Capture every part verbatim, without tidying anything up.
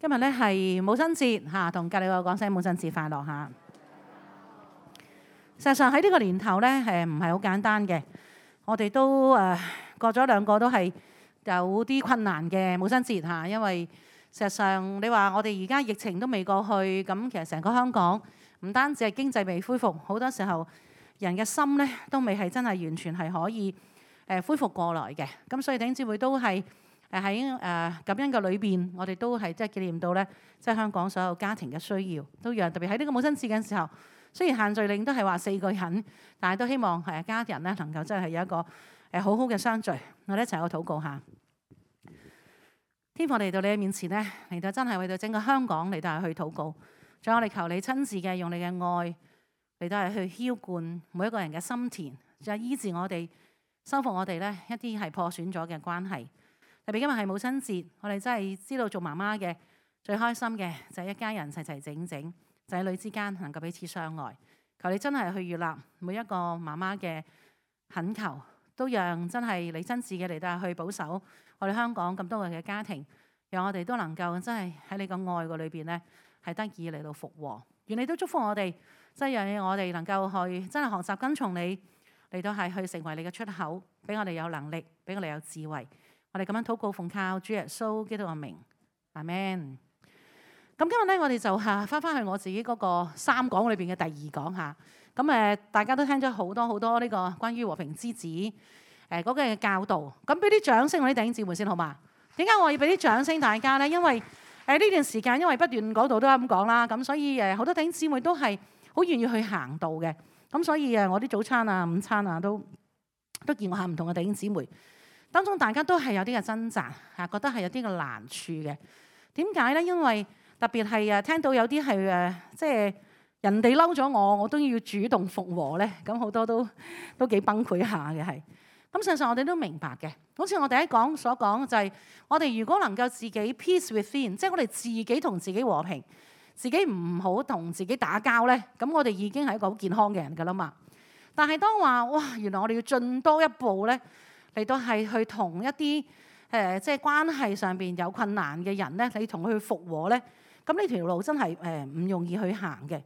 今日咧係母親節嚇，同隔離個講聲母親節快樂嚇。實際上喺呢個年頭咧，誒唔係好簡單嘅。我哋都誒、呃、過咗兩個都係有啲困難嘅母親節嚇，因為事實上你話我哋而家疫情都未過去，咁其實成個香港唔單止係經濟未恢復，好多時候人嘅心咧都未係真係完全係可以誒恢復過來嘅。咁所以弟兄姊妹都係。誒喺誒感恩嘅裏邊，我哋都係即係紀念到咧，即係香港所有家庭嘅需要，都讓特別喺呢個母親節嘅時候，雖然限聚令都係話四個人，但係都希望誒家人咧能夠真係有一個誒好好嘅相聚，我哋一齊去禱告下。天父嚟到你嘅面前咧，嚟到真係為到整個香港嚟到係去禱告，仲有我哋求你親自嘅用你嘅愛嚟到係去澆灌每一個人嘅心田，仲有醫治我哋、修復我哋咧一啲係破損咗嘅關係。特別今日係母親節，我哋真係知道做媽媽嘅最開心嘅就係一家人齊齊整整，仔女之間能夠彼此相愛。求你真係去悅納每一個媽媽嘅懇求，都讓真係你親自嘅嚟到去保守我哋香港咁多嘅家庭，讓我哋都能夠真係喺你個愛個裏邊咧係得以嚟到復和。願你都祝福我哋，真係讓我哋能夠去真係學習跟從你嚟到係去成為你嘅出口，俾我哋有能力，俾我哋有智慧。我哋咁樣禱告奉靠主耶穌基督嘅名，阿們。咁今日咧，我哋就嚇翻翻去我自己嗰個三講裏邊嘅第二講嚇。咁誒，大家都聽咗好多好多呢個關於和平之子誒嗰個嘅教導。咁俾啲掌聲我啲弟兄姊妹先好嘛？點解我要俾啲掌聲大家咧？因為誒呢段時間因為不斷講道都係咁講啦，咁所以誒好多弟兄姊妹都係好願意去行道嘅。咁所以誒我啲早餐啊、午餐啊都都見過下唔同嘅弟兄姊妹。當中大家都係有啲嘅掙扎嚇，覺得係有啲嘅難處嘅。點解咧？因為特別係誒聽到有啲係誒，即係人哋嬲咗我，我都要主動復和咧。咁好多都都幾崩潰下嘅係。咁事實上我哋都明白嘅。好似我第一講所講就係，我哋如果能夠自己 peace within，即係我哋自己同自己和平，自己唔好同自己打交咧，咁我哋已經係一個好健康嘅人㗎啦嘛。但係當話哇，原來我哋要進多一步咧。嚟到係去同一啲誒、呃，即係關係上邊有困難嘅人咧，你同佢去復和咧，咁呢條路真係誒唔容易去行嘅。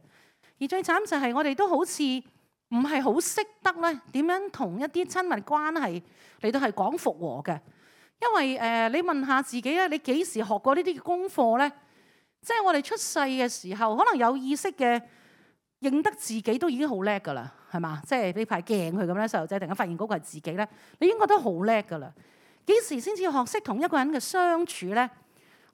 而最慘就係我哋都好似唔係好識得咧點樣同一啲親密關係嚟到係講復和嘅。因為誒、呃，你問下自己咧，你幾時學過呢啲嘅功課咧？即係我哋出世嘅時候，可能有意識嘅認得自己都已經好叻㗎啦。係嘛？即係呢塊鏡佢咁咧，細路仔突然間發現嗰個係自己咧，你應該都好叻噶啦。幾時先至學識同一個人嘅相處咧？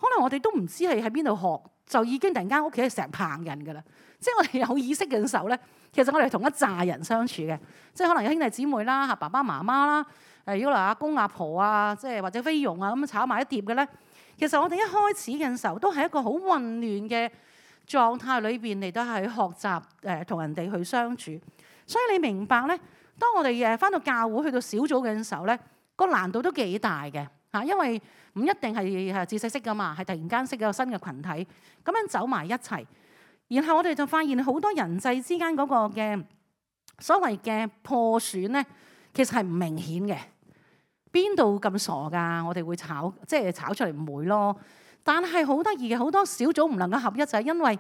可能我哋都唔知係喺邊度學，就已經突然間屋企係成棚人噶啦。即係我哋有意識嘅時候咧，其實我哋係同一紮人相處嘅。即係可能有兄弟姊妹啦、嚇爸爸媽媽啦、誒如果嚟阿公阿婆啊，即係或者菲傭啊咁炒埋一碟嘅咧。其實我哋一開始嘅時候都係一個好混亂嘅狀態裏邊嚟到係學習誒同人哋去相處。所以你明白咧，當我哋誒返到教會去到小組嘅時候咧，個難度都幾大嘅嚇，因為唔一定係係知識識噶嘛，係突然間識咗個新嘅群體，咁樣走埋一齊，然後我哋就發現好多人際之間嗰個嘅所謂嘅破損咧，其實係唔明顯嘅。邊度咁傻㗎？我哋會炒，即係炒出嚟唔會咯。但係好得意嘅，好多小組唔能夠合一就係因為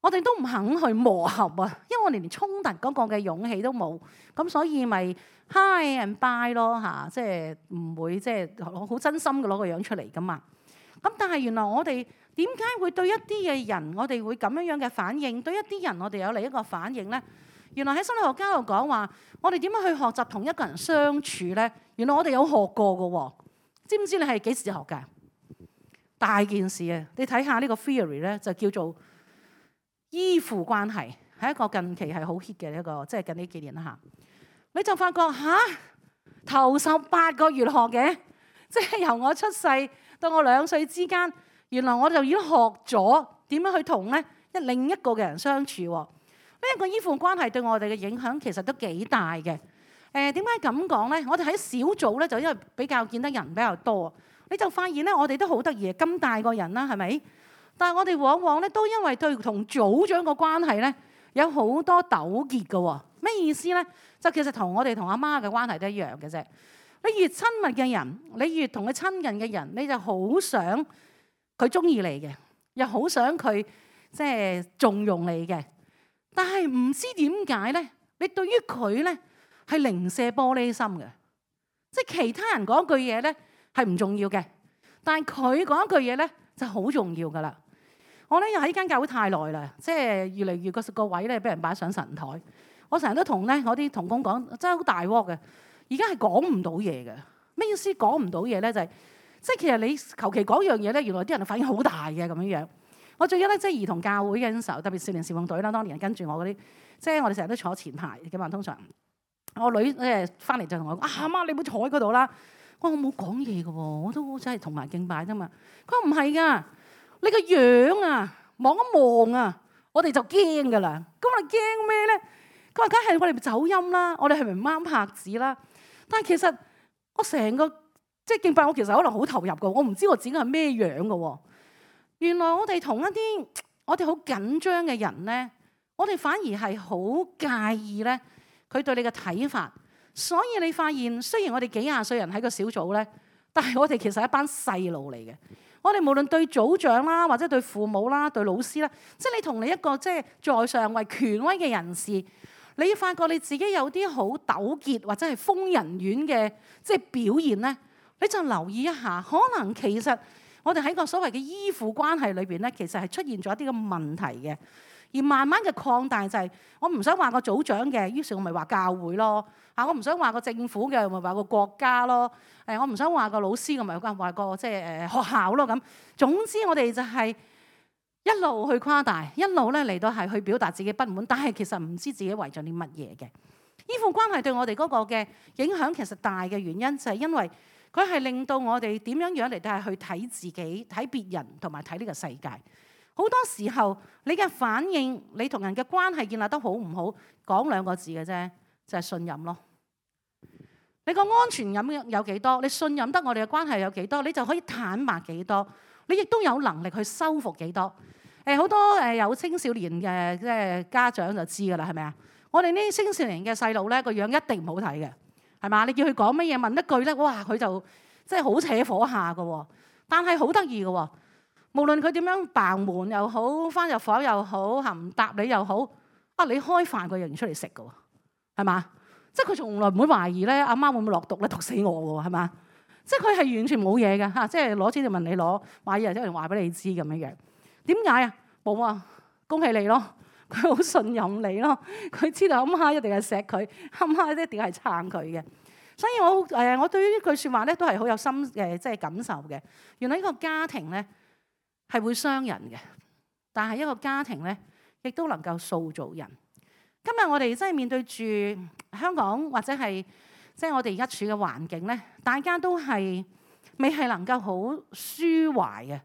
我哋都唔肯去磨合啊，因為我哋連衝突嗰個嘅勇氣都冇，咁所以咪 hi and bye 咯嚇，即係唔會即係好真心嘅攞個樣出嚟噶嘛。咁但係原來我哋點解會對一啲嘅人，我哋會咁樣樣嘅反應，對一啲人我哋有另一個反應咧？原來喺心理學家度講話，我哋點樣去學習同一個人相處咧？原來我哋有學過嘅喎，知唔知你係幾時學㗎？大件事啊！你睇下呢個 theory 咧，就叫做依附關係，係一個近期係好 hit 嘅一個，即係近呢幾年啦嚇。你就發覺嚇頭十八個月學嘅，即係由我出世到我兩歲之間，原來我就已經學咗點樣去同咧一另一個嘅人相處。呢一個依附關係對我哋嘅影響其實都幾大嘅。誒點解咁講咧？我哋喺小組咧就因為比較見得人比較多，你就發現咧我哋都好得意，咁大個人啦，係咪？但係我哋往往咧都因為對同組長個關係咧有好多糾結嘅喎。咩意思咧？就其實同我哋同阿媽嘅關係都一樣嘅啫。你越親密嘅人，你越同佢親近嘅人，你就好想佢中意你嘅，又好想佢即係重用你嘅，但係唔知點解咧，你對於佢咧係零舍玻璃心嘅，即係其他人講句嘢咧係唔重要嘅，但係佢講一句嘢咧就好重要噶啦。我咧又喺呢間教會太耐啦，即係越嚟越個個位咧俾人擺上神台。我成日都同咧我啲同工講，真係好大鑊嘅。而家係講唔到嘢嘅，咩意思講唔到嘢咧？就係即係其實你求其講樣嘢咧，原來啲人反應好大嘅咁樣樣。我最記得即係兒童教會嘅時候，特別少年事奉隊啦，當年跟住我嗰啲，即係我哋成日都坐前排嘅嘛。通常我女誒翻嚟就同我講：啊媽，你唔好坐喺嗰度啦。我話我冇講嘢嘅喎，我都真係同埋敬拜啫嘛。佢話唔係㗎。你個樣啊，望一望啊，我哋就驚噶啦。咁我哋驚咩咧？佢話梗係我哋走音啦，我哋係咪唔啱拍子啦？但係其實我成個即係敬拜，我其實可能好投入噶，我唔知我自己係咩樣噶。原來我哋同一啲我哋好緊張嘅人咧，我哋反而係好介意咧佢對你嘅睇法。所以你發現，雖然我哋幾廿歲人喺個小組咧，但係我哋其實係一班細路嚟嘅。我哋無論對組長啦，或者對父母啦，對老師啦，即係你同你一個即係在上為權威嘅人士，你發覺你自己有啲好糾結或者係瘋人院嘅即係表現咧，你就留意一下，可能其實我哋喺個所謂嘅依附關係裏邊咧，其實係出現咗一啲嘅問題嘅，而慢慢嘅擴大就係、是、我唔想話個組長嘅，於是我咪話教會咯。啊！我唔想話個政府嘅，咪話個國家咯。誒，我唔想話個老師嘅，咪話個即係誒學校咯。咁總之，我哋就係一路去誇大，一路咧嚟到係去表達自己不滿，但係其實唔知自己為咗啲乜嘢嘅。依附關係對我哋嗰個嘅影響其實大嘅原因就係因為佢係令到我哋點樣樣嚟到係去睇自己、睇別人同埋睇呢個世界。好多時候你嘅反應，你同人嘅關係建立得好唔好，講兩個字嘅啫，就係信任咯。你個安全感有幾多？你信任得我哋嘅關係有幾多？你就可以坦白幾多？你亦都有能力去修復幾多？誒，好多誒有青少年嘅即係家長就知㗎啦，係咪啊？我哋呢啲青少年嘅細路咧，個樣一定唔好睇嘅，係嘛？你叫佢講乜嘢，問一句咧，哇！佢就即係好扯火下㗎喎。但係好得意㗎喎，無論佢點樣扮門又好，翻入房又好，嚇唔答你又好，啊！你開飯佢仍然出嚟食㗎喎，係嘛？即係佢從來唔會懷疑咧，阿媽會唔會落毒咧，毒死我喎，係嘛？即係佢係完全冇嘢嘅嚇，即係攞錢就問你攞，買嘢即係話俾你知咁樣樣。點解啊？冇啊，恭喜你咯！佢好信任你咯，佢知道阿媽一定係錫佢，阿媽一定係撐佢嘅。所以我誒，我對於呢句説話咧都係好有心誒，即係感受嘅。原來呢個家庭咧係會傷人嘅，但係一個家庭咧亦都能夠塑造人。今日我哋真係面對住香港或者係即係我哋而家處嘅環境咧，大家都係未係能夠好舒懷嘅，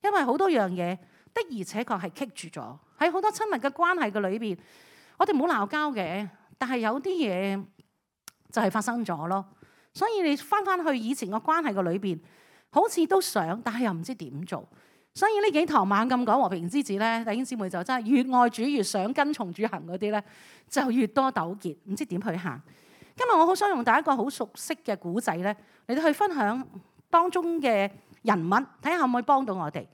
因為好多樣嘢的而且確係棘住咗喺好多親密嘅關係嘅裏邊。我哋冇鬧交嘅，但係有啲嘢就係發生咗咯。所以你翻翻去以前個關係嘅裏邊，好似都想，但係又唔知點做。所以呢幾堂猛咁講和平之子咧，弟兄姊妹就真係越愛主越想跟從主行嗰啲咧，就越多糾結，唔知點去行。今日我好想用大家一個好熟悉嘅古仔咧，嚟到去分享當中嘅人物，睇下可唔可以幫到我哋。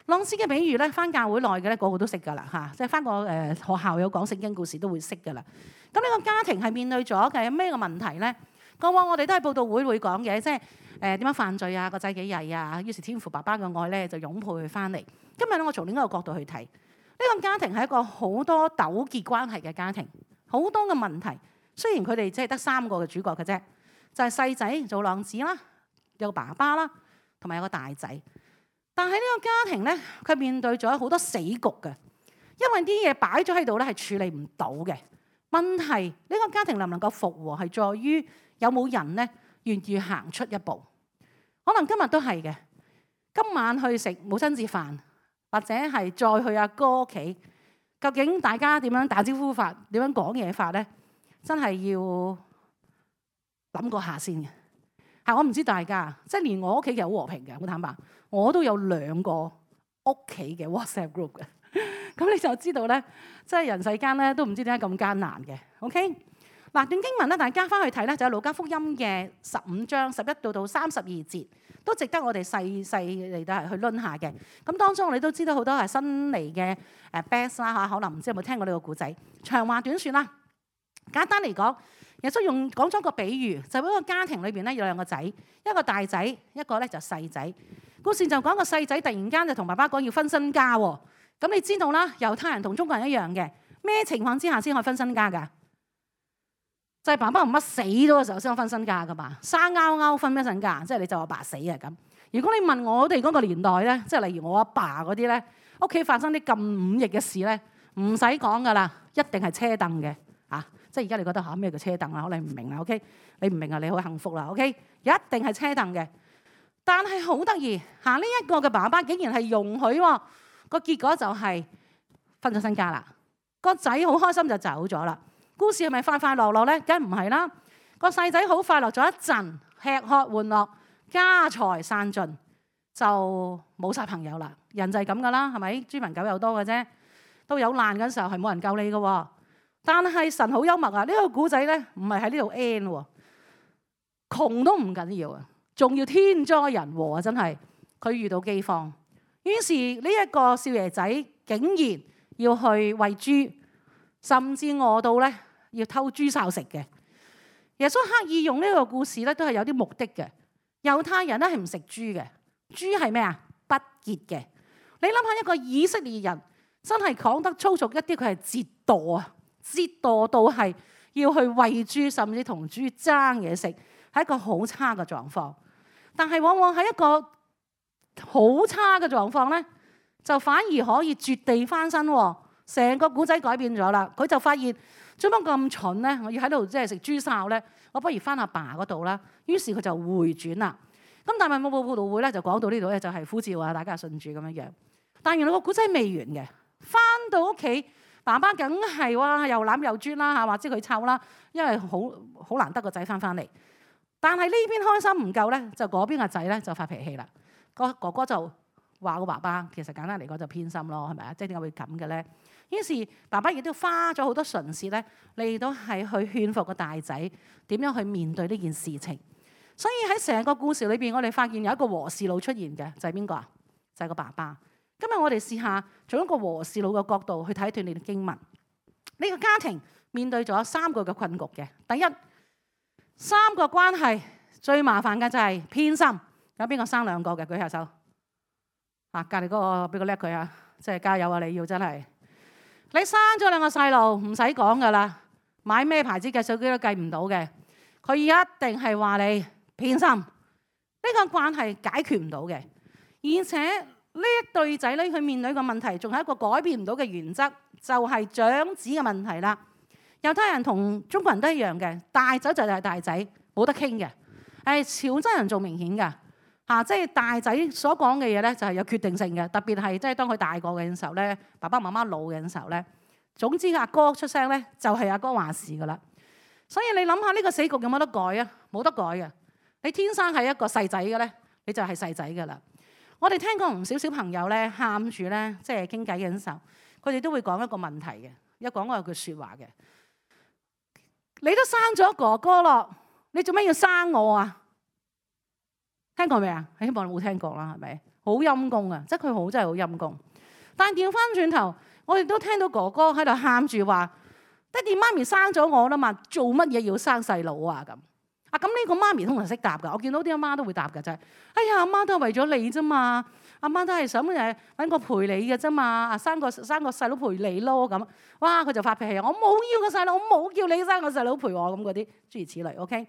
浪子嘅比喻咧，翻教會內嘅咧，個個都識㗎啦嚇，即係翻個誒學校有講聖經故事都會識㗎啦。咁呢個家庭係面對咗嘅咩個問題咧？過往我哋都喺佈道會會講嘅，即係誒點樣犯罪啊，個仔幾曳啊，於是天父爸爸嘅愛咧就擁抱佢翻嚟。今日咧我從另一個角度去睇，呢個家庭係一個好多糾結關係嘅家庭，好多嘅問題。雖然佢哋只係得三個嘅主角嘅啫，就係細仔做浪子啦，有個爸爸啦，同埋有個大仔。但係呢個家庭咧，佢面對咗好多死局嘅，因為啲嘢擺咗喺度咧係處理唔到嘅問題。呢個家庭能唔能夠復和，係在於有冇人咧願意行出一步。可能今日都係嘅，今晚去食母親節飯，或者係再去阿哥屋企，究竟大家點樣打招呼法，點樣講嘢法咧？真係要諗過下先嘅。係我唔知大家，即係連我屋企其實好和平嘅，好坦白。我都有兩個屋企嘅 WhatsApp group 嘅，咁你就知道咧，即係人世間咧都唔知點解咁艱難嘅。OK，嗱，段經文咧，大家翻去睇咧，就係路加福音嘅十五章十一到到三十二節，都值得我哋細細嚟到係去論下嘅。咁當中我哋都知道好多係新嚟嘅誒 best 啦嚇，可能唔知有冇聽過呢個故仔。長話短説啦，簡單嚟講，耶穌用講咗個比喻，就喺一個家庭裏邊咧有兩個仔，一個大仔，一個咧就細仔。故事就講個細仔突然間就同爸爸講要分身家喎。咁你知道啦，猶太人同中國人一樣嘅，咩情況之下先可以分身家㗎？就係爸爸唔乜死咗嘅時候先可以分身家噶嘛，生勾勾分一身家，即係你就阿爸死啊咁。如果你問我哋嗰個年代咧，即係例如我阿爸嗰啲咧，屋企發生啲咁忤逆嘅事咧，唔使講噶啦，一定係車凳嘅嚇。即係而家你覺得嚇咩叫車凳啊？可能唔明啦 ，OK？ 你唔明啊，你好幸福啦 ，OK？ 一定係車凳嘅。但係好得意嚇，呢一個嘅爸爸竟然係容許喎，個結果就係分咗身家啦。個仔好開心就走咗啦。故事係咪快快樂樂咧？梗唔係啦。個細仔好快樂咗一陣，吃喝玩樂，家財散盡，就冇晒朋友啦。人就係咁噶啦，係咪？豬朋狗友多嘅啫。到有難嗰時候係冇人救你嘅。但係神好幽默啊！呢個古仔咧唔係喺呢度 end 喎，窮都唔緊要啊，仲要天災人禍啊！真係佢遇到饑荒，於是呢一個少爺仔竟然要去餵豬，甚至餓到咧要偷豬潲食嘅。耶穌刻意用呢個故事咧，都係有啲目的嘅。猶太人咧係唔食豬嘅，豬係咩啊？不潔嘅。你諗下一個以色列人真係講得粗俗一啲，佢係折墮啊！折墮到係要去餵豬，甚至同豬爭嘢食，係一個好差嘅狀況。但係往往喺一個好差嘅狀況咧，就反而可以絕地翻身喎。成個古仔改變咗啦，佢就發現做乜咁蠢咧？我要喺度即係食豬潲咧，我不如翻阿爸嗰度啦。於是佢就回轉啦。咁但係冇冇佈道會咧，就講到呢度咧，就係呼召啊，大家信主咁樣樣。但原來個古仔未完嘅，翻到屋企，爸爸梗係哇又攬又啜啦嚇，或者佢湊啦，因為好好難得個仔翻翻嚟。但係呢邊開心唔夠咧，就嗰邊個仔咧就發脾氣啦。個哥哥就話個爸爸其實簡單嚟講就偏心咯，係咪啊？即係點解會咁嘅咧？於是爸爸亦都花咗好多唇舌咧嚟到係去勸服個大仔點樣去面對呢件事情。所以喺成個故事裏邊，我哋發現有一個和事佬出現嘅，就係邊個啊？就係個爸爸。今日我哋試下從一個和事佬嘅角度去睇一段呢啲經文。呢個家庭面對咗三個嘅困局嘅。第一，三個關係最麻煩嘅就係偏心。有邊個生兩個嘅？舉下手。啊，隔離嗰個俾個叻佢啊！即係加油啊！你要真係。你生咗兩個細路唔使講噶啦，買咩牌子嘅手機都計唔到嘅。佢一定係話你偏心，呢個關係解決唔到嘅。而且呢一對仔女佢面對個問題，仲係一個改變唔到嘅原則，就係長子嘅問題啦。猶太人同中國人都一樣嘅，大仔就係大仔，冇得傾嘅。誒，潮州人仲明顯㗎。啊！即係大仔所講嘅嘢咧，就係有決定性嘅。特別係即係當佢大個嘅時候咧，爸爸媽媽老嘅時候咧，總之阿哥出聲咧，就係阿哥話事噶啦。所以你諗下呢個死局有冇得改啊？冇得改嘅。你天生係一個細仔嘅咧，你就係細仔噶啦。我哋聽過唔少小朋友咧，喊住咧，即係傾偈嘅時候，佢哋都會講一個問題嘅，一講過有句説話嘅。你都生咗哥哥咯，你做咩要生我啊？聽過未啊？希望你冇聽過啦，係咪？好陰公啊！即係佢好真係好陰公。但係調翻轉頭，我哋都聽到哥哥喺度喊住話：爹哋媽咪生咗我啦嘛，做乜嘢要生細佬啊？咁啊咁呢個媽咪通常識答㗎。我見到啲阿媽都會答㗎，就係：哎呀，阿媽都係為咗你啫嘛，阿媽都係想誒揾個陪你嘅啫嘛，啊生個生個細佬陪你咯咁。哇！佢就發脾氣，我冇要個細佬，我冇叫你生個細佬陪我咁嗰啲諸如此類。OK，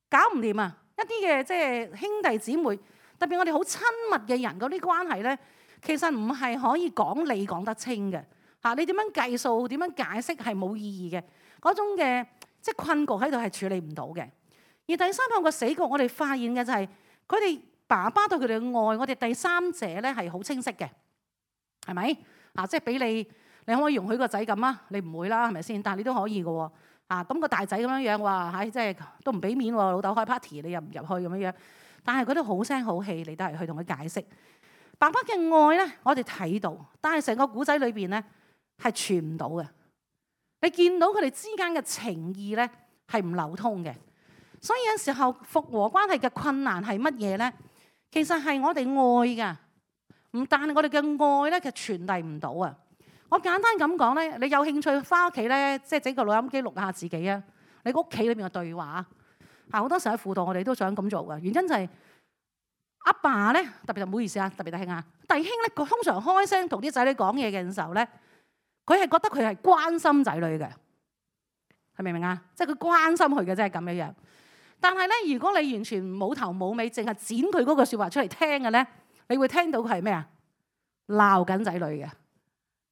搞唔掂啊！一啲嘅即係兄弟姊妹，特別我哋好親密嘅人嗰啲關係咧，其實唔係可以講理講得清嘅嚇。你點樣計數、點樣解釋係冇意義嘅嗰種嘅即係困局喺度係處理唔到嘅。而第三個個死局，我哋發現嘅就係佢哋爸爸對佢哋嘅愛，我哋第三者咧係好清晰嘅，係咪啊？即係俾你，你可唔可以容許個仔咁啊？你唔會啦，係咪先？但係你都可以嘅喎。啊，咁個大仔咁樣樣話，唉，即係都唔俾面喎，老豆開 party，你入唔入去咁樣樣？但係佢都好聲好氣，你都係去同佢解釋。爸爸嘅愛咧，我哋睇到，但係成個古仔裏邊咧係傳唔到嘅。你見到佢哋之間嘅情義咧係唔流通嘅。所以有時候復和關係嘅困難係乜嘢咧？其實係我哋愛㗎，唔但係我哋嘅愛咧，其實傳遞唔到啊！我簡單咁講咧，你有興趣翻屋企咧，即係整個錄音機錄下自己啊！你屋企裏邊嘅對話啊，好多時喺輔導我哋都想咁做嘅，原因就係阿爸咧，特別就唔好意思啊，特別弟兄啊，弟兄咧，佢通常開聲同啲仔女講嘢嘅時候咧，佢係覺得佢係關心仔女嘅，係明唔明啊？即係佢關心佢嘅，即係咁樣樣。但係咧，如果你完全冇頭冇尾，淨係剪佢嗰個説話出嚟聽嘅咧，你會聽到佢係咩啊？鬧緊仔女嘅。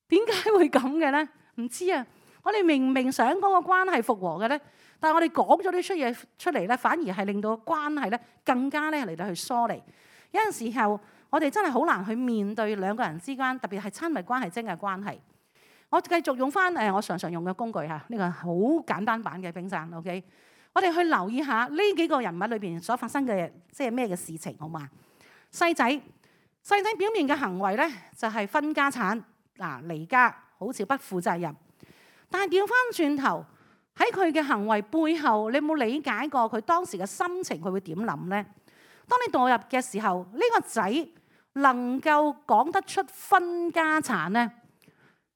點解會咁嘅咧？唔知啊！我哋明明想嗰個關係復和嘅咧，但係我哋講咗啲出嘢出嚟咧，反而係令到關係咧更加咧嚟到去疏離。有陣時候，我哋真係好難去面對兩個人之間，特別係親密關係、真嘅關係。我繼續用翻誒我常常用嘅工具嚇，呢個好簡單版嘅冰山。OK， 我哋去留意下呢幾個人物裏邊所發生嘅即係咩嘅事情，好嘛？細仔，細仔表面嘅行為咧就係分家產。嗱，離家好似不負責任，但係調翻轉頭喺佢嘅行為背後，你有冇理解過佢當時嘅心情？佢會點諗呢？當你墮入嘅時候，呢個仔能夠講得出分家產呢？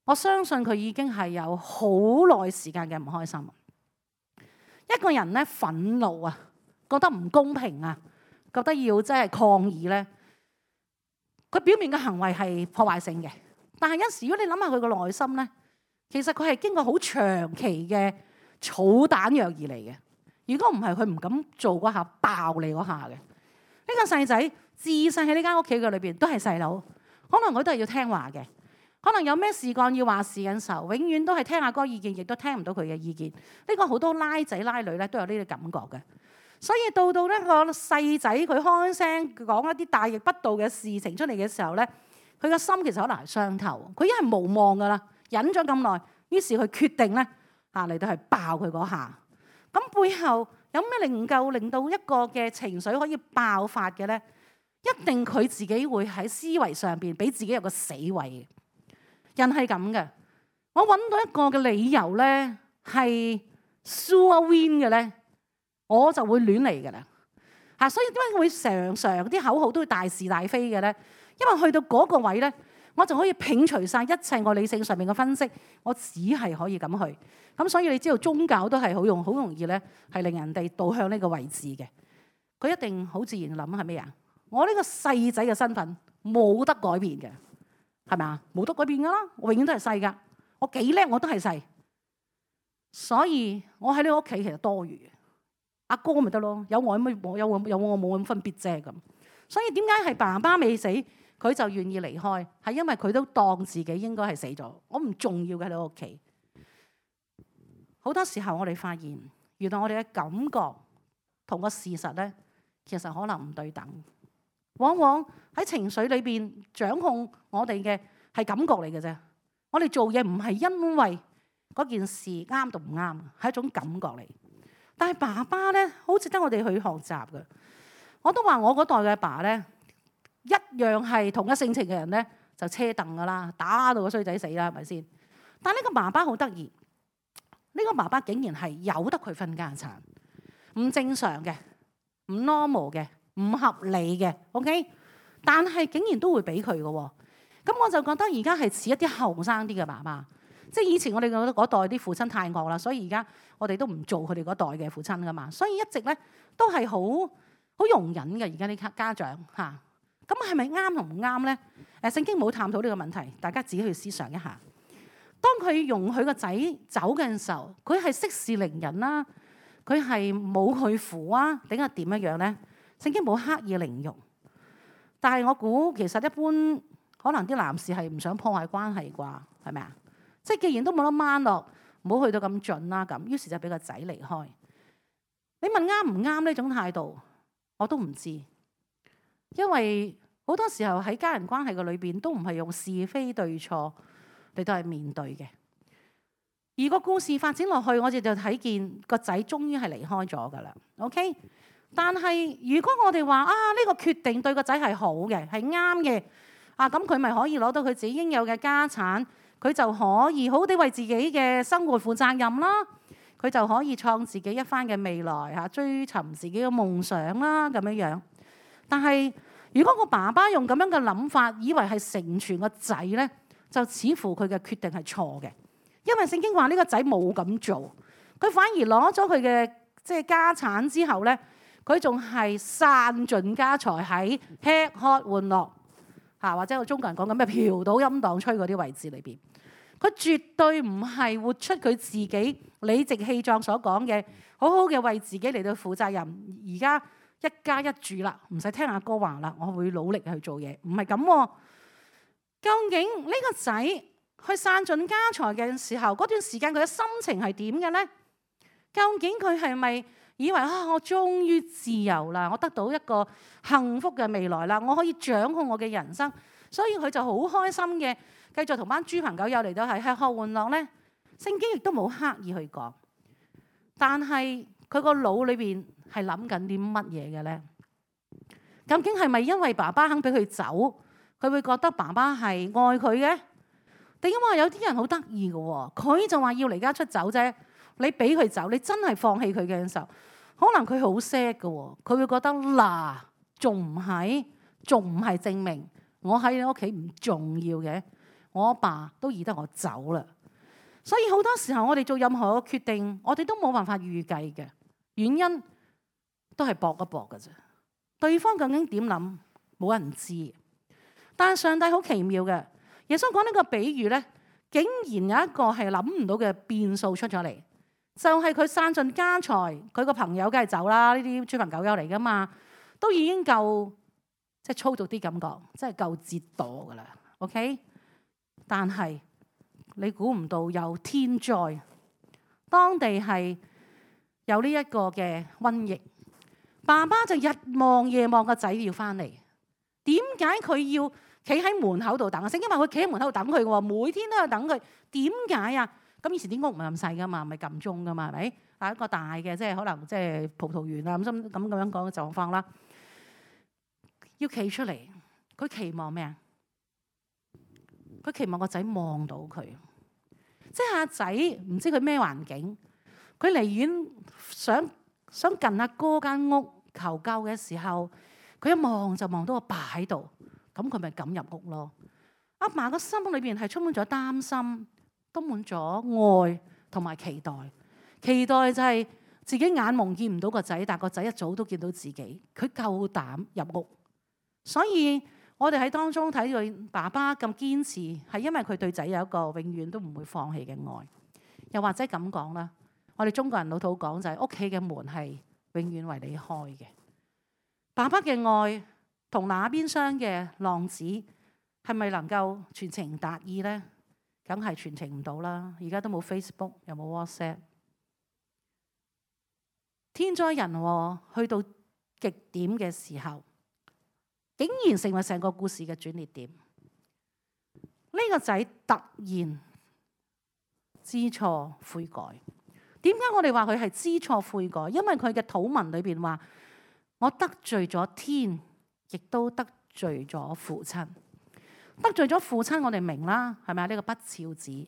我相信佢已經係有好耐時間嘅唔開心。一個人咧憤怒啊，覺得唔公平啊，覺得要即係抗議咧，佢表面嘅行為係破壞性嘅。但係有時，如果你諗下佢個內心咧，其實佢係經過好長期嘅草彈藥而嚟嘅。如果唔係，佢唔敢做嗰下爆你嗰下嘅。呢個細仔自細喺呢間屋企嘅裏邊都係細佬，可能佢都係要聽話嘅。可能有咩事幹要話事嘅時候，永遠都係聽阿哥意見，亦都聽唔到佢嘅意見。呢個好多拉仔拉女咧都有呢啲感覺嘅。所以到到呢個細仔佢開聲講一啲大逆不道嘅事情出嚟嘅時候咧，佢個心其實可能係傷透，佢已經係無望噶啦，忍咗咁耐，於是佢決定咧嚇嚟到係爆佢嗰下。咁背後有咩能夠令到一個嘅情緒可以爆發嘅咧？一定佢自己會喺思維上邊俾自己有個死位。人係咁嘅，我揾到一個嘅理由咧係 sure win 嘅咧，我就會亂嚟嘅啦嚇。所以點解會常常啲口號都會大是大非嘅咧？因為去到嗰個位咧，我就可以摒除晒一切我理性上面嘅分析，我只係可以咁去。咁所以你知道宗教都係好容好容易咧，係令人哋導向呢個位置嘅。佢一定好自然諗係咩啊？我呢個細仔嘅身份冇得改變嘅，係咪啊？冇得改變噶啦，我永遠都係細噶。我幾叻我都係細，所以我喺呢個屋企其實多餘嘅。阿哥咪得咯，有我咪我有我有我冇咁分別啫咁。所以點解係爸爸未死？佢就願意離開，係因為佢都當自己應該係死咗，我唔重要嘅喺你屋企。好多時候我哋發現，原來我哋嘅感覺同個事實咧，其實可能唔對等。往往喺情緒裏邊掌控我哋嘅係感覺嚟嘅啫。我哋做嘢唔係因為嗰件事啱同唔啱，係一種感覺嚟。但係爸爸咧，好值得我哋去學習嘅。我都話我嗰代嘅爸咧。一樣係同一性情嘅人咧，就車凳噶啦，打到個衰仔死啦，係咪先？但係呢個爸爸好得意，呢個爸爸竟然係由得佢分家產，唔正常嘅，唔 normal 嘅，唔合理嘅 ，OK？ 但係竟然都會俾佢嘅喎，咁我就覺得而家係似一啲後生啲嘅爸爸，即係以前我哋嗰代啲父親太惡啦，所以而家我哋都唔做佢哋嗰代嘅父親噶嘛，所以一直咧都係好好容忍嘅。而家啲家長嚇。咁係咪啱同唔啱咧？誒，聖經冇探討呢個問題，大家自己去思想一下。當佢容許個仔走嘅時候，佢係息事寧人啦，佢係冇去扶啊，定係點樣樣咧？聖經冇刻意凌辱，但係我估其實一般可能啲男士係唔想破壞關係啩，係咪啊？即係既然都冇得掹落，唔好去到咁盡啦咁，於是就俾個仔離開。你問啱唔啱呢種態度，我都唔知。因為好多時候喺家人關係嘅裏邊，都唔係用是非對錯嚟到係面對嘅。而個故事發展落去，我哋就睇見個仔終於係離開咗噶啦。OK， 但係如果我哋話啊呢個決定對個仔係好嘅，係啱嘅啊，咁佢咪可以攞到佢自己應有嘅家產，佢就可以好好地為自己嘅生活負責任啦。佢就可以創自己一番嘅未來嚇，追尋自己嘅夢想啦咁樣樣。但係如果個爸爸用咁樣嘅諗法，以為係成全個仔咧，就似乎佢嘅決定係錯嘅，因為聖經話呢個仔冇咁做，佢反而攞咗佢嘅即係家產之後咧，佢仲係散盡家財喺吃喝玩樂嚇，或者我中國人講緊咩嫖賭陰蕩吹嗰啲位置裏邊。佢絕對唔係活出佢自己理直氣壯所講嘅，好好嘅為自己嚟到負責任。而家一家一住啦，唔使聽阿哥話啦，我會努力去做嘢。唔係咁，究竟呢個仔去散盡家財嘅時候，嗰段時間佢嘅心情係點嘅呢？究竟佢係咪以為啊，我終於自由啦，我得到一個幸福嘅未來啦，我可以掌控我嘅人生，所以佢就好開心嘅。繼續同班豬朋狗友嚟到係吃喝玩樂咧，聖經亦都冇刻意去講，但係佢個腦裏邊係諗緊啲乜嘢嘅咧？究竟係咪因為爸爸肯俾佢走，佢會覺得爸爸係愛佢嘅？定因為有啲人好得意嘅喎，佢就話要離家出走啫，你俾佢走，你真係放棄佢嘅時候，可能佢好 sad 嘅喎，佢會覺得嗱，仲唔係，仲唔係證明我喺你屋企唔重要嘅？我阿爸都易得我走啦，所以好多時候我哋做任何嘅決定，我哋都冇辦法預計嘅，原因都係搏一搏嘅啫。對方究竟點諗，冇人知。但係上帝好奇妙嘅，耶穌講呢個比喻咧，竟然有一個係諗唔到嘅變數出咗嚟，就係佢散盡家財，佢個朋友梗係走啦，呢啲豬朋狗友嚟噶嘛，都已經夠即係粗俗啲咁講，即係夠折墮噶啦。OK。但係你估唔到有天災，當地係有呢一個嘅瘟疫，爸爸就日望夜望個仔要翻嚟。點解佢要企喺門口度等啊？聖經話佢企喺門口度等佢嘅喎，每天都係等佢。點解啊？咁以前啲屋唔係咁細噶嘛，咪撳鐘噶嘛，係咪？啊一個大嘅，即係可能即係葡萄園啊咁咁咁樣講嘅狀況啦。要企出嚟，佢期望咩啊？佢期望個仔望到佢，即係阿仔唔知佢咩環境，佢離遠想想近阿哥間屋求救嘅時候，佢一望就望到個爸喺度，咁佢咪敢入屋咯。阿嫲個心裏邊係充滿咗擔心，都滿咗愛同埋期待，期待就係自己眼蒙見唔到個仔，但個仔一早都見到自己，佢夠膽入屋，所以。我哋喺當中睇到爸爸咁堅持，係因為佢對仔有一個永遠都唔會放棄嘅愛。又或者咁講啦，我哋中國人老土講就係屋企嘅門係永遠為你開嘅。爸爸嘅愛同那邊廂嘅浪子係咪能夠傳情達意呢？梗係傳情唔到啦。而家都冇 Facebook， 又冇 WhatsApp。天災人禍去到極點嘅時候，竟然成為成個故事嘅轉捩點。呢個仔突然知錯悔改。點解我哋話佢係知錯悔改？因為佢嘅禱文裏邊話：我得罪咗天，亦都得罪咗父親。得罪咗父親，我哋明啦，係咪啊？呢個不肖子。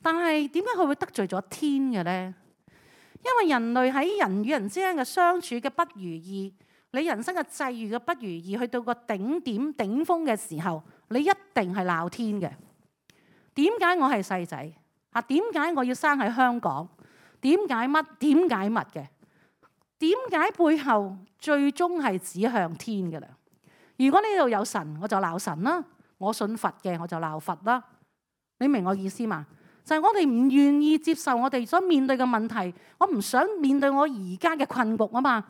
但係點解佢會得罪咗天嘅咧？因為人類喺人與人之間嘅相處嘅不如意。你人生嘅際遇嘅不如意，去到個頂點頂峰嘅時候，你一定係鬧天嘅。點解我係細仔啊？點解我要生喺香港？點解乜？點解乜嘅？點解背後最終係指向天嘅啦？如果呢度有神，我就鬧神啦；我信佛嘅，我就鬧佛啦。你明我意思嘛？就係我哋唔願意接受我哋所面對嘅問題，我唔想面對我而家嘅困局啊嘛。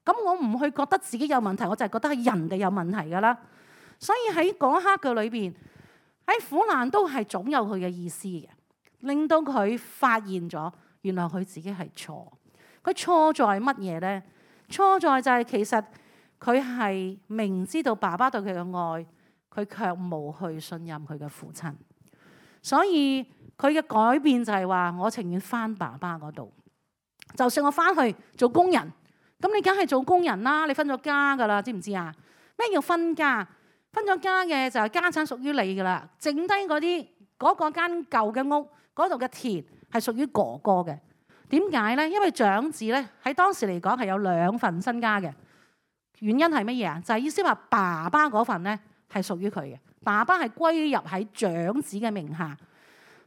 咁我唔去覺得自己有問題，我就係覺得係人哋有問題噶啦。所以喺嗰一刻嘅裏邊，喺苦難都係總有佢嘅意思嘅，令到佢發現咗原來佢自己係錯。佢錯在乜嘢呢？錯在就係其實佢係明知道爸爸對佢嘅愛，佢卻冇去信任佢嘅父親。所以佢嘅改變就係話：我情願返爸爸嗰度，就算我返去做工人。咁你梗係做工人啦，你分咗家噶啦，知唔知啊？咩叫分家？分咗家嘅就係家產屬於你噶啦，剩低嗰啲嗰個間舊嘅屋嗰度嘅田係屬於哥哥嘅。點點解咧？因為長子咧喺當時嚟講係有兩份身家嘅。原因係乜嘢啊？就係意思話爸爸嗰份咧係屬於佢嘅，爸爸係歸入喺長子嘅名下。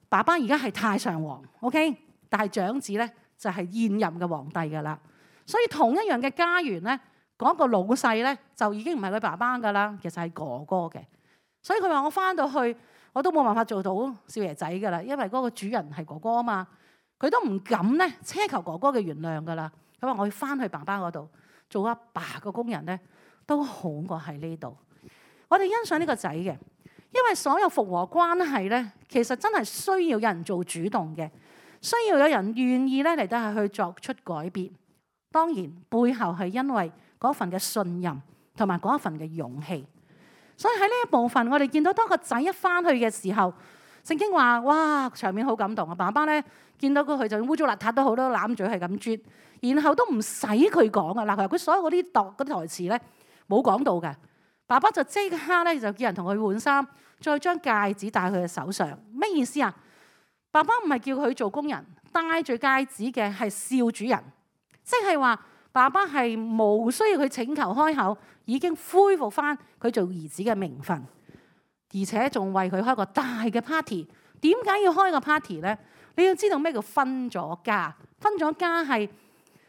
爸爸而家係太上皇 ，OK， 但係長子咧就係現任嘅皇帝噶啦。所以同一樣嘅家園咧，嗰個老細咧就已經唔係佢爸爸噶啦，其實係哥哥嘅。所以佢話我翻到去我都冇辦法做到少爺仔噶啦，因為嗰個主人係哥哥啊嘛。佢都唔敢咧奢求哥哥嘅原諒噶啦。佢話我要翻去爸爸嗰度做阿爸嘅工人咧，都好過喺呢度。我哋欣賞呢個仔嘅，因為所有復和關係咧，其實真係需要有人做主動嘅，需要有人願意咧嚟得係去作出改變。當然背後係因為嗰份嘅信任同埋嗰一份嘅勇氣。所以喺呢一部分，我哋見到當個仔一翻去嘅時候，聖經話：哇，場面好感動啊！爸爸咧見到佢，佢就污糟邋遢都好，都攬住係咁啜，然後都唔使佢講啊！嗱，佢所有嗰啲度嗰啲台詞咧冇講到嘅，爸爸就即刻咧就叫人同佢換衫，再將戒指戴佢嘅手上。咩意思啊？爸爸唔係叫佢做工人，戴住戒指嘅係少主人，即係話爸爸係無需要佢請求開口，已經恢復翻佢做兒子嘅名分。而且仲為佢開個大嘅 party。點解要開個 party 咧？你要知道咩叫分咗家？分咗家係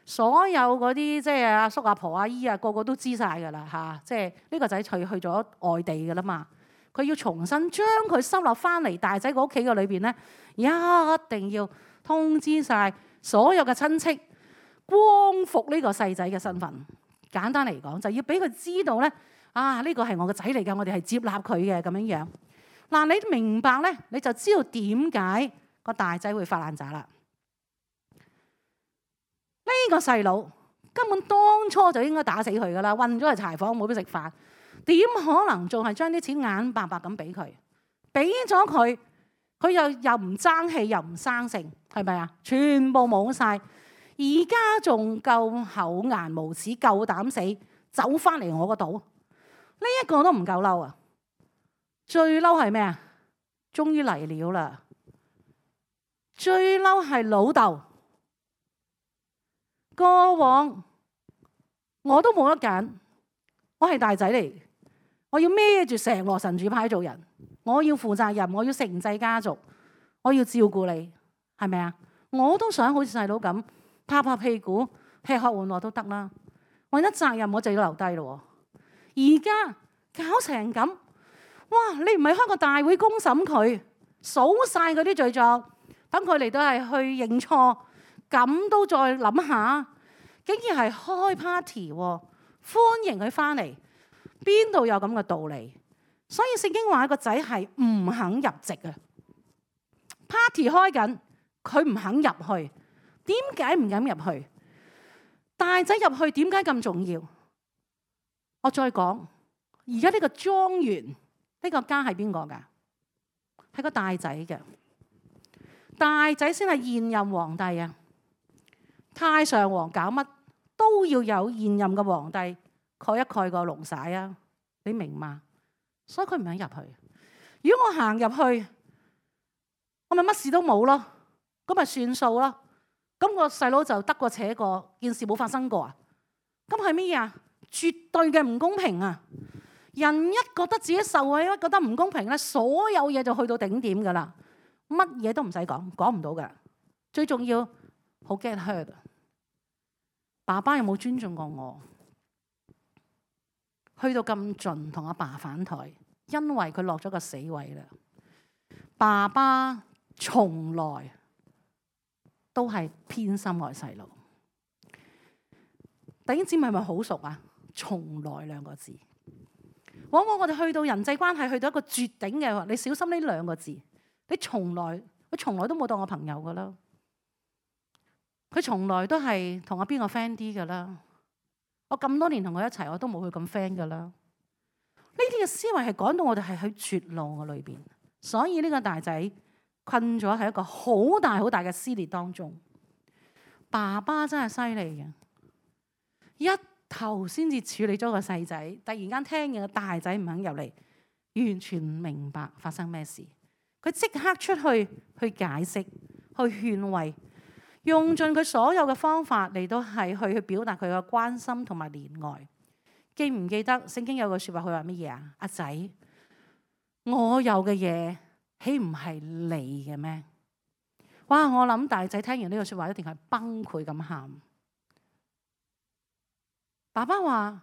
所有嗰啲即係阿叔阿婆阿姨啊，個個都知晒㗎啦嚇。即係呢個仔去去咗外地㗎啦嘛。佢要重新將佢收落翻嚟大仔個屋企嘅裏邊咧，一定要通知晒所有嘅親戚，光復呢個細仔嘅身份。簡單嚟講，就要俾佢知道咧。啊！呢個係我個仔嚟㗎，我哋係接納佢嘅咁樣樣。嗱，你明白咧，你就知道點解個大仔會發爛渣啦。呢個細佬根本當初就應該打死佢㗎啦，韞咗喺柴房冇得食飯，點可能仲係將啲錢眼白白咁俾佢？俾咗佢，佢又又唔爭氣，又唔生性，係咪啊？全部冇晒。而家仲夠厚顏無恥，夠膽死走翻嚟我嗰度。呢一個都唔夠嬲啊！最嬲係咩啊？終於嚟了啦！最嬲係老豆。過往我都冇得揀，我係大仔嚟，我要孭住成羅神主牌做人，我要負責任，我要承繼家族，我要照顧你，係咪啊？我都想好似細佬咁拍拍屁股，吃喝玩樂都得啦。為咗責任，我就要留低咯。而家搞成咁，哇！你唔係開個大會公審佢，數晒嗰啲罪狀，等佢嚟到係去認錯，咁都再諗下，竟然係開 party 喎，歡迎佢翻嚟，邊度有咁嘅道理？所以聖經話個仔係唔肯入籍啊 ！party 開緊，佢唔肯入去，點解唔敢入去？大仔入去點解咁重要？我再講，而家呢個莊園呢個家係邊個㗎？係個大仔嘅，大仔先係現任皇帝啊！太上皇搞乜都要有現任嘅皇帝蓋一蓋個龍璽啊！你明嘛？所以佢唔肯入去。如果我行入去，我咪乜事都冇咯，咁咪算數咯。咁個細佬就得過且過，件事冇發生過啊！咁係咩啊？絕對嘅唔公平啊！人一覺得自己受委屈，覺得唔公平咧，所有嘢就去到頂點噶啦，乜嘢都唔使講，講唔到噶。最重要好 get hurt。爸爸有冇尊重過我？去到咁盡同阿爸反台，因為佢落咗個死位啦。爸爸從來都係偏心愛細路。弟兄姊妹係咪好熟啊？從來兩個字，往往我哋去到人際關係去到一個絕頂嘅話，你小心呢兩個字。你從來佢從來都冇當我朋友噶啦，佢從來都係同我邊個 friend 啲噶啦。我咁多年同佢一齊，我都冇佢咁 friend 噶啦。呢啲嘅思維係講到我哋係喺絕路嘅裏邊，所以呢個大仔困咗喺一個好大好大嘅撕裂當中。爸爸真係犀利嘅，一頭先至處理咗個細仔，突然間聽見個大仔唔肯入嚟，完全唔明白發生咩事。佢即刻出去去解釋，去勸慰，用盡佢所有嘅方法嚟到係去去表達佢嘅關心同埋憐愛。記唔記得聖經有句説話，佢話乜嘢啊？阿仔，我有嘅嘢豈唔係你嘅咩？哇！我諗大仔聽完呢句説話一定係崩潰咁喊。爸爸話：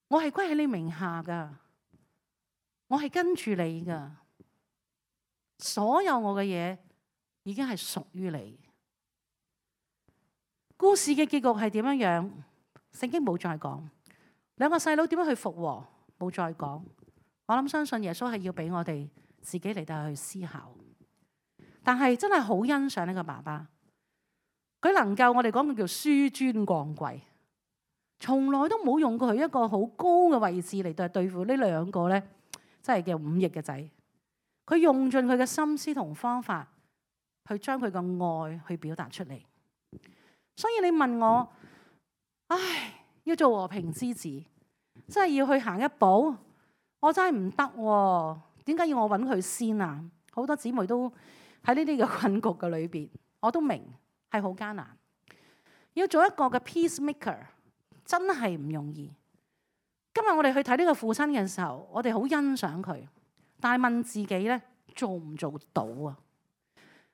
我係歸喺你名下噶，我係跟住你噶，所有我嘅嘢已經係屬於你。故事嘅結局係點樣樣？聖經冇再講。兩個細佬點樣去復和？冇再講。我諗相信耶穌係要俾我哋自己嚟到去思考。但係真係好欣賞呢個爸爸，佢能夠我哋講佢叫紆尊降貴，從來都冇用過佢一個好高嘅位置嚟到對付呢兩個咧，真係嘅忤逆嘅仔。佢用盡佢嘅心思同方法去將佢嘅愛去表達出嚟。所以你問我，唉，要做和平之子，真係要去行一步，我真係唔得喎。點解要我揾佢先啊？好多姊妹都喺呢啲嘅困局嘅裏邊，我都明係好艱難。要做一個嘅 peacemaker，真係唔容易。今日我哋去睇呢個父親嘅時候，我哋好欣賞佢，但係問自己咧，做唔做到啊？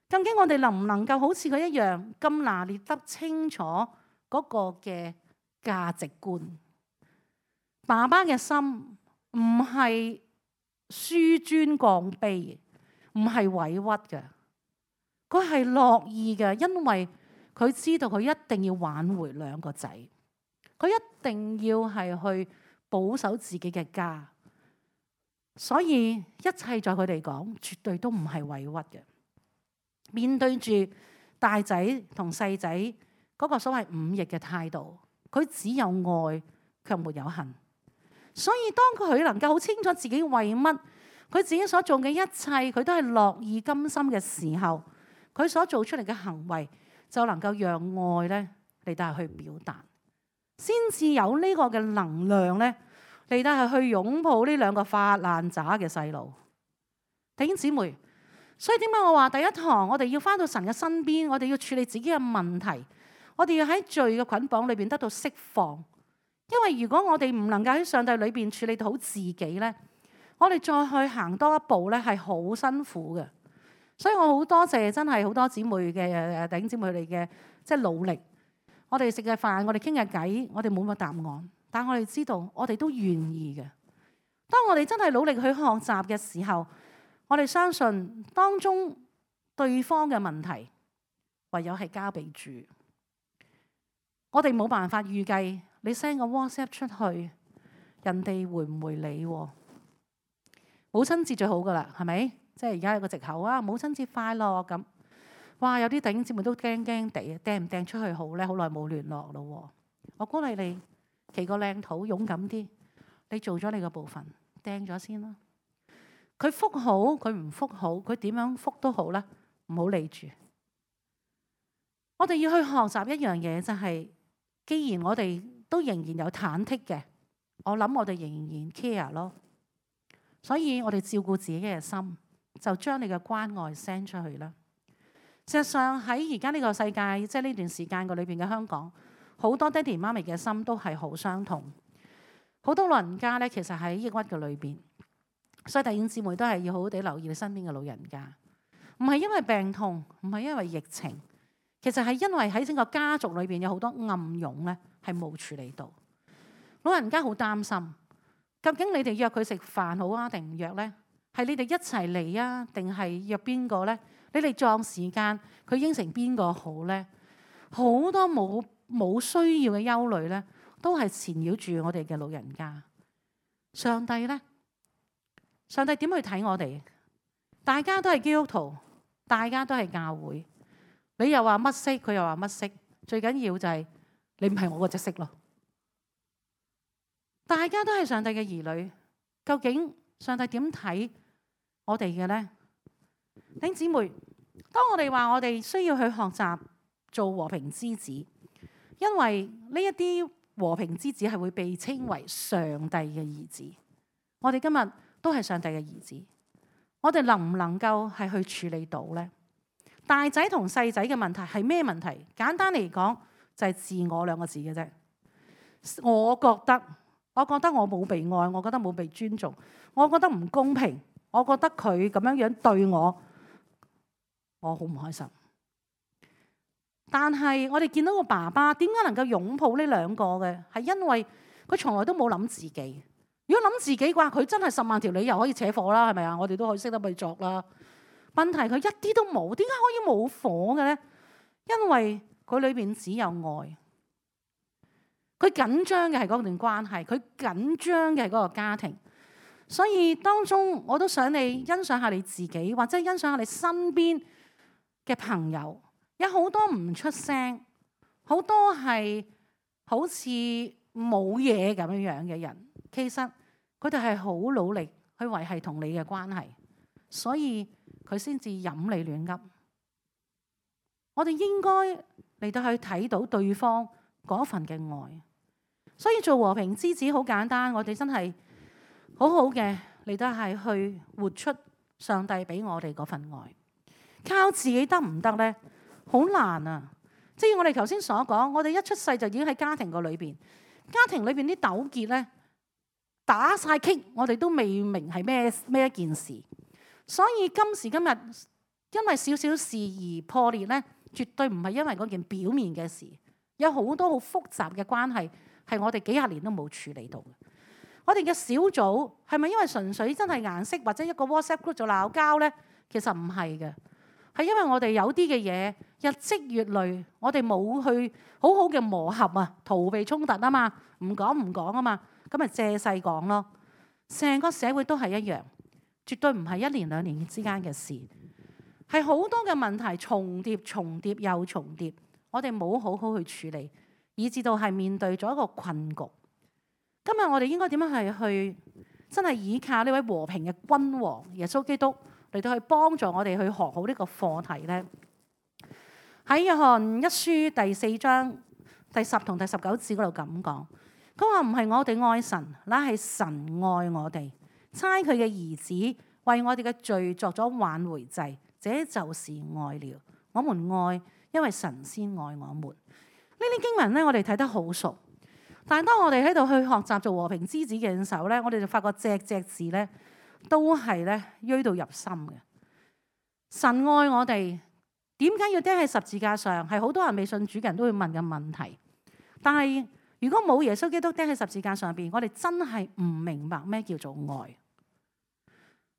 究竟我哋能唔能夠好似佢一樣咁拿捏得清楚嗰個嘅價值觀？爸爸嘅心唔係紆尊降卑，唔係委屈嘅，佢係樂意嘅，因為佢知道佢一定要挽回兩個仔，佢一定要係去保守自己嘅家，所以一切在佢哋講，絕對都唔係委屈嘅。面對住大仔同細仔嗰個所謂忤逆嘅態度，佢只有愛卻沒有恨。所以當佢能夠好清楚自己為乜，佢自己所做嘅一切，佢都係樂意甘心嘅時候，佢所做出嚟嘅行為就能夠讓愛咧嚟到去表達，先至有呢個嘅能量咧嚟到係去擁抱呢兩個發爛渣嘅細路。弟兄姊妹，所以點解我話第一堂我哋要返到神嘅身邊，我哋要處理自己嘅問題，我哋要喺罪嘅捆綁裏邊得到釋放。因為如果我哋唔能夠喺上帝裏邊處理到好自己咧，我哋再去行多一步咧係好辛苦嘅。所以我好多謝真係好多姊妹嘅弟兄姊妹哋嘅即係努力。我哋食嘅飯，我哋傾嘅偈，我哋冇乜答案，但我哋知道我哋都願意嘅。當我哋真係努力去學習嘅時候，我哋相信當中對方嘅問題唯有係交俾主。我哋冇辦法預計你 send 個 WhatsApp 出去，人哋回唔回你？母親節最好噶啦，係咪？即係而家有個藉口啊！母親節快樂咁。哇！有啲弟兄姊妹都驚驚地，掟唔掟出去好咧？好耐冇聯絡咯。我鼓勵你祈個靚禱，勇敢啲。你做咗你個部分，掟咗先啦。佢覆好，佢唔覆好，佢點樣覆都好啦，唔好理住。我哋要去學習一樣嘢，就係既然我哋都仍然有忐忑嘅，我諗我哋仍然 care 咯。所以我哋照顧自己嘅心，就將你嘅關愛 send 出去啦。事實上喺而家呢個世界，即係呢段時間個裏邊嘅香港，好多爹哋媽咪嘅心都係好傷痛。好多老人家咧，其實喺抑鬱嘅裏邊。所以弟兄姊妹都係要好好地留意你身邊嘅老人家，唔係因為病痛，唔係因為疫情，其實係因為喺整個家族裏邊有好多暗湧咧，係冇處理到。老人家好擔心，究竟你哋約佢食飯好啊，定唔約咧？係你哋一齊嚟啊，定係約邊個咧？你哋撞時間，佢應承邊個好咧？好多冇冇需要嘅憂慮咧，都係纏繞住我哋嘅老人家。上帝咧？上帝點去睇我哋？大家都係基督徒，大家都係教會。你又話乜色，佢又話乜色，最緊要就係你唔係我嗰隻色咯。大家都係上帝嘅兒女，究竟上帝點睇我哋嘅呢？弟兄姊妹，當我哋話我哋需要去學習做和平之子，因為呢一啲和平之子係會被稱為上帝嘅兒子。我哋今日都係上帝嘅兒子，我哋能唔能夠係去處理到呢？大仔同細仔嘅問題係咩問題？簡單嚟講就係自我兩個字嘅啫。我覺得，我覺得我冇被愛，我覺得冇被尊重，我覺得唔公平，我覺得佢咁樣樣對我，我好唔開心。但係我哋見到個爸爸點解能夠擁抱呢兩個嘅？係因為佢從來都冇諗自己。如果諗自己嘅話，佢真係十萬條理由可以扯火啦，係咪啊？我哋都可以識得去作啦。問題佢一啲都冇，點解可以冇火嘅咧？因為佢裏邊只有愛。佢緊張嘅係嗰段關係，佢緊張嘅係嗰個家庭。所以當中我都想你欣賞下你自己，或者欣賞下你身邊嘅朋友。有好多唔出聲，好多係好似冇嘢咁樣樣嘅人，其實佢哋係好努力去維繫同你嘅關係，所以佢先至飲你亂噏。我哋應該嚟到去睇到對方嗰份嘅愛，所以做和平之子好簡單，我哋真係好好嘅嚟到係去活出上帝俾我哋嗰份愛。靠自己得唔得呢？好難啊！即係我哋頭先所講，我哋一出世就已經喺家庭個裏邊，家庭裏邊啲糾結咧打晒棘，我哋都未明係咩咩一件事。所以今時今日，因為少少事而破裂咧，絕對唔係因為嗰件表面嘅事，有好多好複雜嘅關係係我哋幾廿年都冇處理到嘅。我哋嘅小組係咪因為純粹真係顏色或者一個 WhatsApp group 就鬧交咧？其實唔係嘅。係因為我哋有啲嘅嘢日積月累，我哋冇去好好嘅磨合啊，逃避衝突啊嘛，唔講唔講啊嘛，咁咪借勢講咯。成個社會都係一樣，絕對唔係一年兩年之間嘅事，係好多嘅問題重疊、重疊又重疊，我哋冇好好去處理，以至到係面對咗一個困局。今日我哋應該點樣係去真係依靠呢位和平嘅君王耶穌基督嚟到去幫助我哋去學好呢個課題呢？喺約翰一書第四章第十同第十九節嗰度咁講，佢話唔係我哋愛神，乃係神愛我哋，差佢嘅兒子為我哋嘅罪作咗挽回祭，這就是愛了。我們愛，因為神先愛我們。呢啲經文呢，我哋睇得好熟，但係當我哋喺度去學習做和平之子嘅時候呢，我哋就發覺隻隻字呢，都係咧，錐到入心嘅。神愛我哋，點解要釘喺十字架上？係好多人未信主嘅人都會問嘅問題。但係如果冇耶穌基督釘喺十字架上邊，我哋真係唔明白咩叫做愛。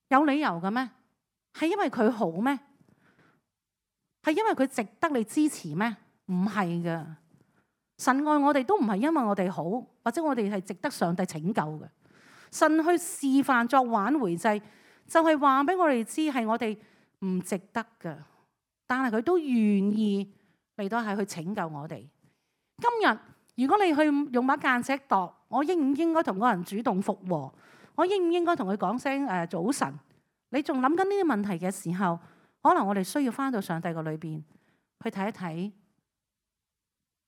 有理由嘅咩？係因為佢好咩？係因為佢值得你支持咩？唔係嘅。神愛我哋都唔係因為我哋好，或者我哋係值得上帝拯救嘅。神去示範作挽回祭，就係話俾我哋知係我哋唔值得嘅，但係佢都願意嚟到係去拯救我哋。今日如果你去用把間尺度，我應唔應該同嗰人主動復和？我應唔應該同佢講聲誒早晨？你仲諗緊呢啲問題嘅時候，可能我哋需要翻到上帝個裏邊去睇一睇，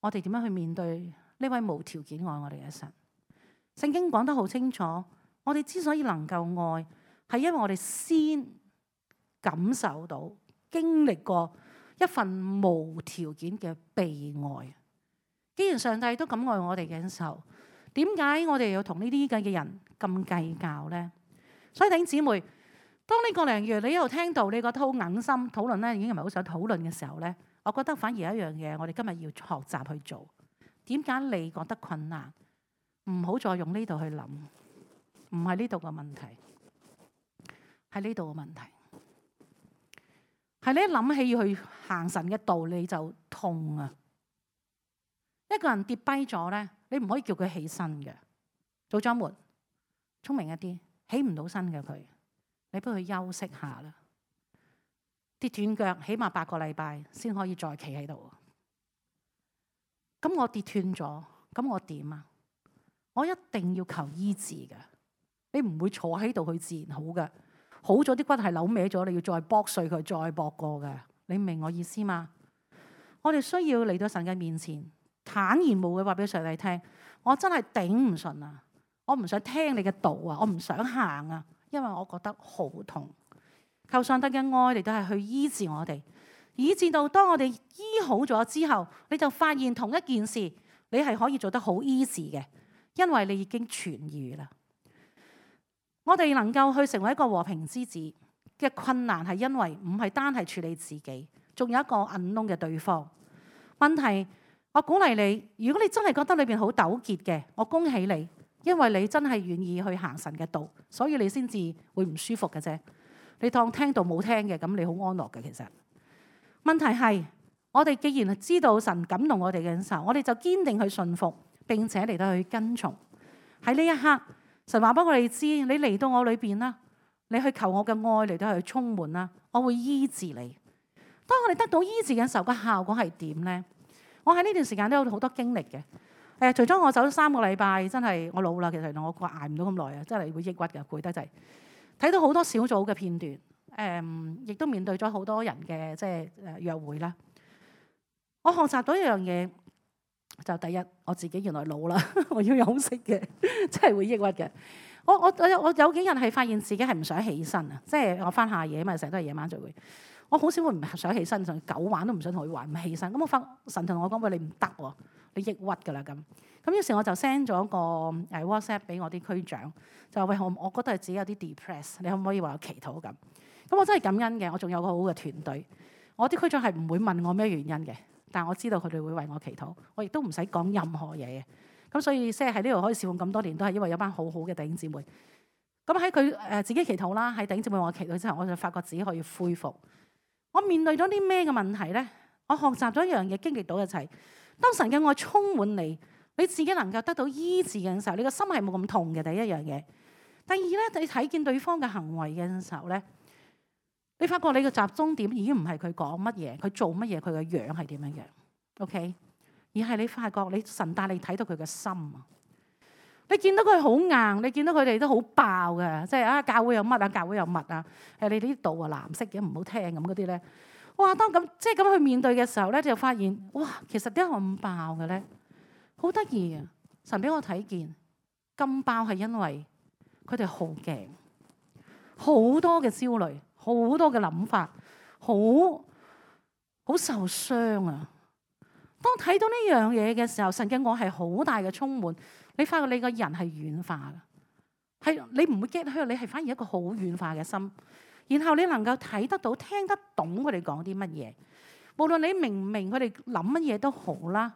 我哋點樣去面對呢位無條件愛我哋嘅神。聖經講得好清楚，我哋之所以能夠愛，係因為我哋先感受到、經歷過一份無條件嘅被愛。既然上帝都咁愛我哋嘅時候，點解我哋要同呢啲咁嘅人咁計較呢？所以弟兄姊妹，當呢個零月你一路聽到你覺得好硬心討論咧，已經唔係好想討論嘅時候咧，我覺得反而有一樣嘢，我哋今日要學習去做。點解你覺得困難？唔好再用呢度去諗，唔係呢度嘅問題，係呢度嘅問題。係你一諗起要去行神嘅道理就痛啊！一個人跌低咗咧，你唔可以叫佢起身嘅。組長們，聰明一啲，起唔到身嘅佢，你俾佢休息下啦。跌斷腳起碼八個禮拜先可以再企喺度。咁我跌斷咗，咁我點啊？我一定要求醫治嘅，你唔會坐喺度去自然好嘅，好咗啲骨係扭歪咗，你要再剝碎佢，再駁過嘅，你明我意思嗎？我哋需要嚟到神嘅面前，坦然無懼話俾上帝聽，我真係頂唔順啊！我唔想聽你嘅道啊，我唔想行啊，因為我覺得好痛。求上帝嘅愛嚟到係去醫治我哋，以至到當我哋醫好咗之後，你就發現同一件事你係可以做得好 easy 嘅，因為你已經痊癒啦。我哋能夠去成為一個和平之子嘅困難係因為唔係單係處理自己，仲有一個 unknown 嘅對方。問題，我鼓勵你，如果你真係覺得裏邊好糾結嘅，我恭喜你，因為你真係願意去行神嘅道，所以你先至會唔舒服嘅啫。你當聽到冇聽嘅，咁你好安樂嘅。其實問題係，我哋既然知道神感動我哋嘅時候，我哋就堅定去信服，並且嚟到去跟從。喺呢一刻，神話俾我哋知，你嚟到我裏邊啦，你去求我嘅愛嚟到去充滿啦，我會醫治你。當我哋得到醫治嘅時候，個效果係點呢？我喺呢段時間都有好多經歷嘅。誒，除咗我走咗三個禮拜，真係我老啦，其實我捱唔到咁耐啊，真係會抑鬱嘅，攰得滯。睇到好多小組嘅片段，誒、嗯，亦都面對咗好多人嘅即係誒約會啦。我學習到一樣嘢，就第一，我自己原來老啦，我要休息嘅，真係會抑鬱嘅。我我我有我有幾日係發現自己係唔想起身啊，即係我翻下夜嘛，成日都係夜晚聚會，我好少會唔想起身，甚至九晚都唔想同佢玩，唔起身。咁我發神同我講話，你唔得喎，你抑鬱㗎啦咁。咁於是我就 send 咗個誒 WhatsApp 俾我啲區長，就話喂，我我覺得係自己有啲 depress， 你可唔可以話我祈禱咁？咁我真係感恩嘅，我仲有個好好嘅團隊。我啲區長係唔會問我咩原因嘅，但我知道佢哋會為我祈禱，我亦都唔使講任何嘢嘅。咁所以即係喺呢度可以侍奉咁多年，都係因為有班好好嘅弟兄姊妹。咁喺佢誒自己祈禱啦，喺弟兄姊妹我祈禱之後，我就發覺自己可以恢復。我面對咗啲咩嘅問題咧？我學習咗一樣嘢，經歷到嘅就係，當神嘅愛充滿你，你自己能夠得到醫治嘅時候，你個心係冇咁痛嘅。第一樣嘢，第二咧，你睇見對方嘅行為嘅時候咧，你發覺你嘅集中點已經唔係佢講乜嘢，佢做乜嘢，佢嘅樣係點樣嘅 ，OK？而係你發覺你神帶你睇到佢嘅心啊！你見到佢好硬，你見到佢哋都好爆嘅，即係啊教會有乜啊，教會有乜啊，誒你呢度啊藍色嘅唔好聽咁嗰啲咧，哇！當咁即係咁去面對嘅時候咧，就發現哇，其實點解咁爆嘅咧？好得意啊！神俾我睇見咁爆係因為佢哋好驚，好多嘅焦慮，好多嘅諗法，好好受傷啊！當睇到呢樣嘢嘅時候，神嘅愛係好大嘅充滿，你發覺你個人係軟化嘅，係你唔會 get hurt，你係反而一個好軟化嘅心，然後你能夠睇得到、聽得懂佢哋講啲乜嘢，無論你明唔明佢哋諗乜嘢都好啦，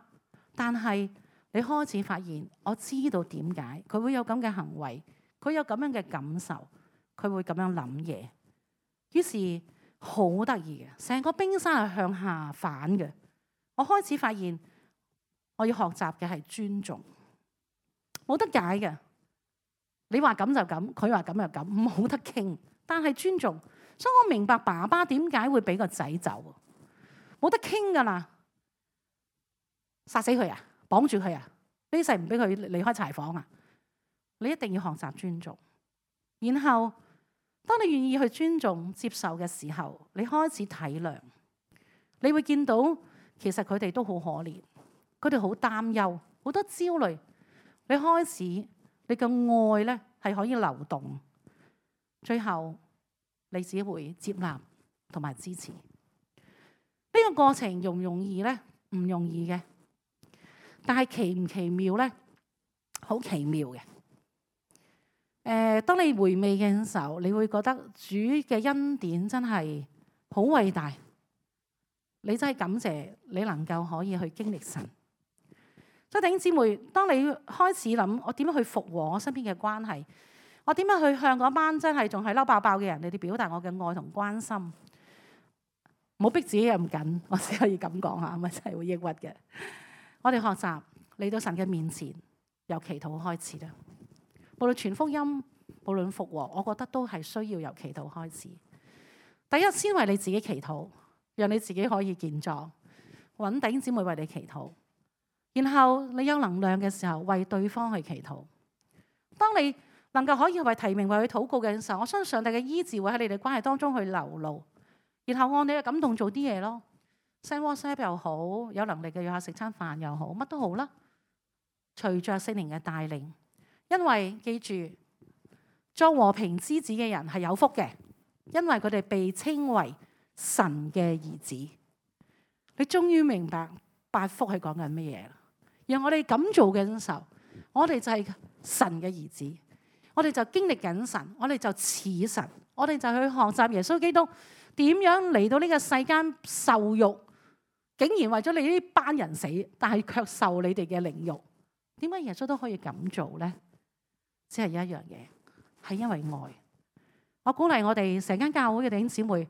但係你開始發現，我知道點解佢會有咁嘅行為，佢有咁樣嘅感受，佢會咁樣諗嘢，於是好得意嘅，成個冰山係向下反嘅。我開始發現，我要學習嘅係尊重，冇得解嘅。你話咁就咁，佢話咁就咁，冇得傾。但係尊重，所以我明白爸爸點解會俾個仔走，冇得傾噶啦，殺死佢啊，綁住佢啊，呢世唔俾佢離開柴房啊。你一定要學習尊重，然後當你願意去尊重、接受嘅時候，你開始體諒，你會見到。其實佢哋都好可憐，佢哋好擔憂，好多焦慮。你開始，你嘅愛咧係可以流動，最後你只會接納同埋支持。呢個過程容唔容易咧？唔容易嘅，但係奇唔奇妙咧？好奇妙嘅。誒、呃，當你回味嘅時候，你會覺得主嘅恩典真係好偉大。你真係感謝你能夠可以去經歷神。所以弟兄姊妹，當你開始諗我點樣去復和我身邊嘅關係，我點樣去向嗰班真係仲係嬲爆爆嘅人，你哋表達我嘅愛同關心，唔好逼自己咁緊，我只可以咁講下，咪真係會抑鬱嘅。我哋學習嚟到神嘅面前，由祈禱開始啦。無論傳福音，無論復和，我覺得都係需要由祈禱開始。第一，先為你自己祈禱。讓你自己可以健壯，揾弟兄姊妹為你祈禱，然後你有能量嘅時候為對方去祈禱。當你能夠可以為提名為佢禱告嘅時候，我相信上帝嘅醫治會喺你哋關係當中去流露，然後按你嘅感動做啲嘢咯。send WhatsApp 又好，有能力嘅約下食餐飯又好，乜都好啦。隨着聖靈嘅帶領，因為記住做和平之子嘅人係有福嘅，因為佢哋被稱為神嘅兒子，你終於明白八福係講緊乜嘢啦。讓我哋咁做嘅時候，我哋就係神嘅兒子，我哋就經歷緊神，我哋就似神，我哋就去學習耶穌基督點樣嚟到呢個世間受辱，竟然為咗你呢班人死，但係卻受你哋嘅凌辱。點解耶穌都可以咁做呢？只係一樣嘢，係因為愛。我鼓勵我哋成間教會嘅弟兄姊妹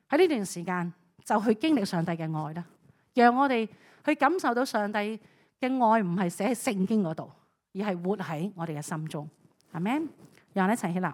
喺呢段時間就去經歷上帝嘅愛啦，讓我哋去感受到上帝嘅愛唔係寫喺聖經嗰度，而係活喺我哋嘅心中。阿們，讓我哋一齊起立。